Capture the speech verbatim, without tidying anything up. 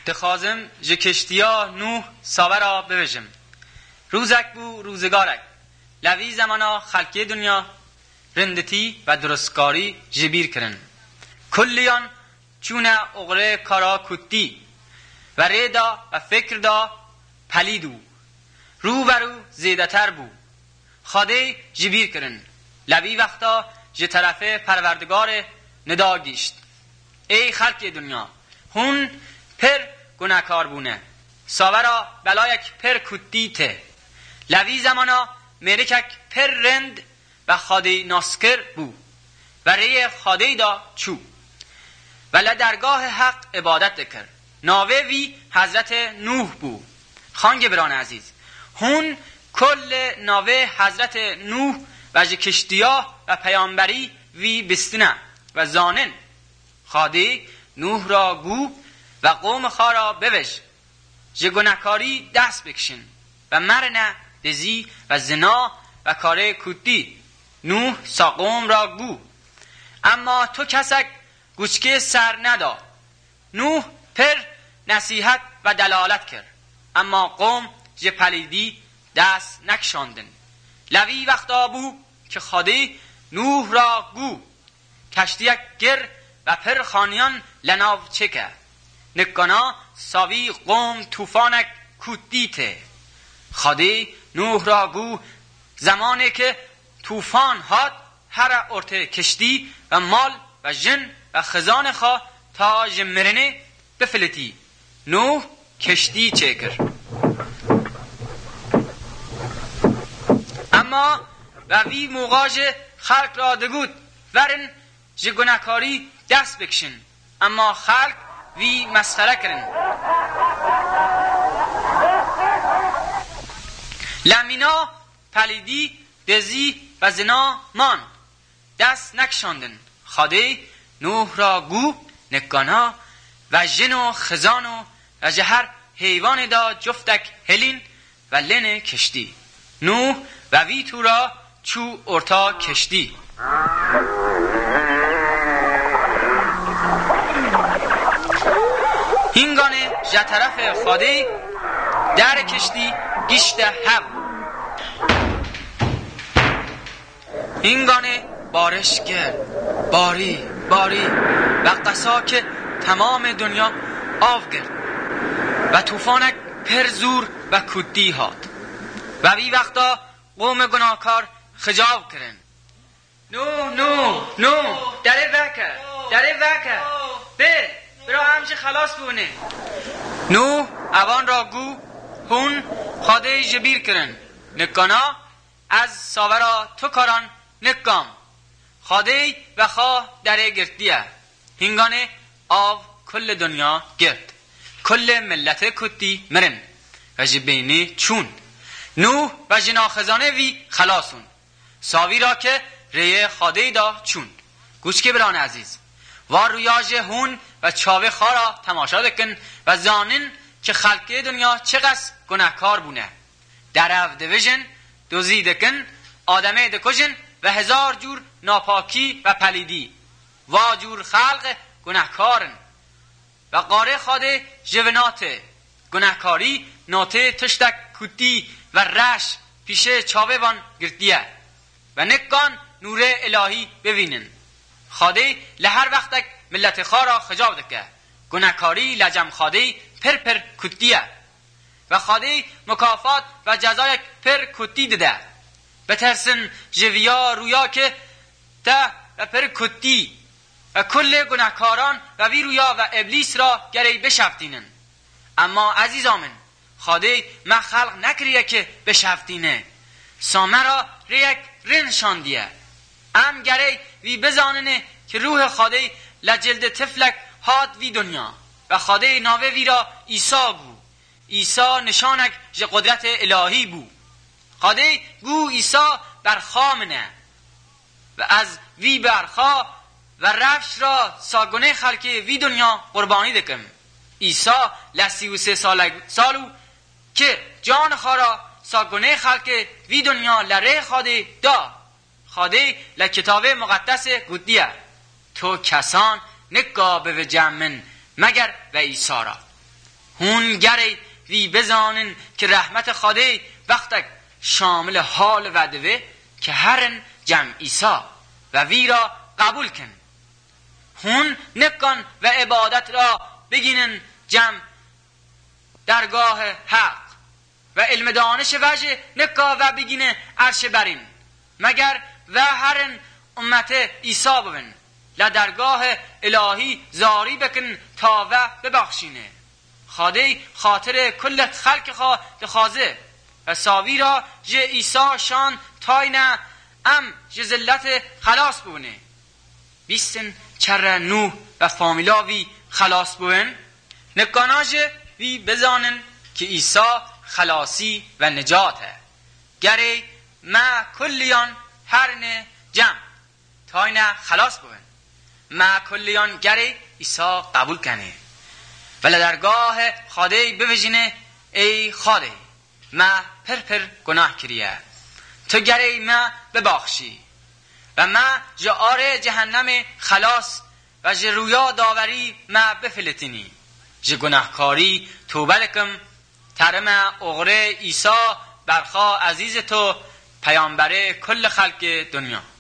Dixwazim ji kiştiya Nûh savera bibêjim. Rûzek bû, rûzigarek. Lê vî zemana xelkê dinya rinditî ve duristkarî ji bîr kirin. Kulliyan çûne oxirê kara kutî ve rê da ve fikr da pelîd û rû ve rû zêdeter bû. Xwedê ji bîr kirin. Lê vî wexta ji terefê Perwerdigarê nida gîşt. Ey xelkê dinya, hûn pir gunekar bûne. Savera belayek pir kutî tê. Lê vî zemana mêrikek pir rind ve Xwedê naskir bû. Ve rêyê Xwedê da çû. Ve li dergahê Heq îbadet dikir. Navê vî Hezretê Nûh bû. Xangê biran ezîz, hûn kulê navê Hezretê Nûh ve ji kiştiya ve peyamberî vî bistine ve zanin. Xwedê Nûh ra gû ve qomê xwe ra bivêj. Ji gunekarî dest bikişin ve merine dizî ve zina ve karê kutî. Nûh sa qom ra gû. Emma tu kesek guçkê ser neda. Nûh pir nesîhet ve delalet kir. Emma qom ji pelîdî dest nekişandin. Lê vî wexta bû ki Xwedê Nûh ra gû. Keştiyek gir ve pir xaniyan li nav çêke. Nikana savî qom tûfanek kutî tê. Xwedê Nûh ra gû, zemanê ki tûfan hat, here ortê kiştî ve mal ve jin ve xizanê xwe ta ji mirinê bifilitî. Nûh kiştî çêkir. Emma ve vî moxa ji xelk ra digot, verin ji gunekarî dest bikişin. Emma xelk vî mesxere kirin. Lê mîna pelîdî, dizî ve zina man. Dest nekişandin. Xwedê Nûh ra gû, nikana ve jin û xizan û ve ji her heywanê de cuftek hilîn ve lênê kiştî. Nûh ve vî tûra çû orta kiştî. Hînganê ji terefê Xwedê derê kiştî gişte hev. Hînganê bariş kir, barî, barî ve qesa ki temamê dinya av girt ve tûfanek pir zûr ve kutî hat. Ve vî wexta qomê gunahkar xicav kirin. Nûh, Nûh, Nûh, derê veke, derê veke. Bê, bira em jî xelas bûne. Nûh evan ra gû, hûn Xwedê ji bîr kirin. Nikana ez savera tu karan nikam. Xwedê ve xwe derê girtiye. Hînganê av kulê dinya girt. Kulê miletê kutî mirin ve ji bênê çûn. Nûh ve jina xizanê vî xelas hûn. Savî ra ke rêyê Xwedê da çûn. Guçkê biran ezîz, va rûya jê hûn ve çavê xwe ra temaşa dikin ve zanin ki xelkê dinya çiqas gunehkar bûne. Derev divijin, dozî dikin, ademê dikujin ve hezar cûr napakî ve pelîdî. Va cûr xelq gunehkar in. Ve qarê Xwedê ji vina tê. Gunehkarî notê tiştek kutî ve reş pîşê çavê van girtiye. Ve nikan nûrê îlahî bivînin. Xwedê li her wextek miletê xwe re xicav dike. Gunehkarî li cem Xwedê pir pir kutî ye. Ve Xwedê mukafat ve cezayek pir kutî dide. Bitirsin ji viya rûya ki te ve pir kutî ve kulê gunehkaran ve vî rûya ve Îblîs ra gerey bişeftînin. Emma ezîza min, Xwedê me xelq nekiriye ki bişeftîne. Sa me ra rêyek rind şandiye. Em gerey vî bizaninê ki ruhê Xwedê li cildê tiflek hat vî dinya ve Xwedê navê vî ra Îsa gû. Îsa nişanek ji qudretê îlahî bû. Xwedê gû Îsa berxa min e. Ve ez vî berxa ve rewş ra sa gunê xelkê vî dinya qurbanî dikim. Îsa li sî û sê salek sal û ki can xwe ra sa gunê xelkê vî dinya li rê Xwedê da. Xwedê li Kitabê Muqeddesê gotiye, tu kesan nika bivicem min meger ve Îsa ra. Hûn gerê vî bizanin ki rehmete Xwedê wextek şamilê hal ve dibe ki herin cem Îsa ve vî ra qebûl kin. Hûn nikan ve îbadet ra bigînin cem dergahê Heq ve îlmê danişê ve jî nika ve bigîne erşê berîn. Meger ve herin ummetê Îsa bibin, le dergahê îlahî zarî bikin ta ve bibaxşîne. Xwedê xatirê kullet xelkê xwe dixwaze ve savî ra ji Îsa şan tayne em ji zilletê xelas bûne. Bîstin çerre Nûh ve famîla vî xelas bûn. Nikana ji vî bizanin ki Îsa xelasî ve nicat e. Gerê me kulliyan herine cem tayne xelas bûn. Me kulliyan gerê Îsa qebûl kenê ve le dergahê Xwedê bivijîne: Ey Xwedê, me pir pir gunah kiriye. Tu gerê me bibaxşî ve me ji arê cehennemê xelas ve ji rûya daverî me bifilitinî. Ji gunahkarî tobe dikim, terime oxirê Îsa berxa ezîzê tu, peyamberê kulli xelkê dinya.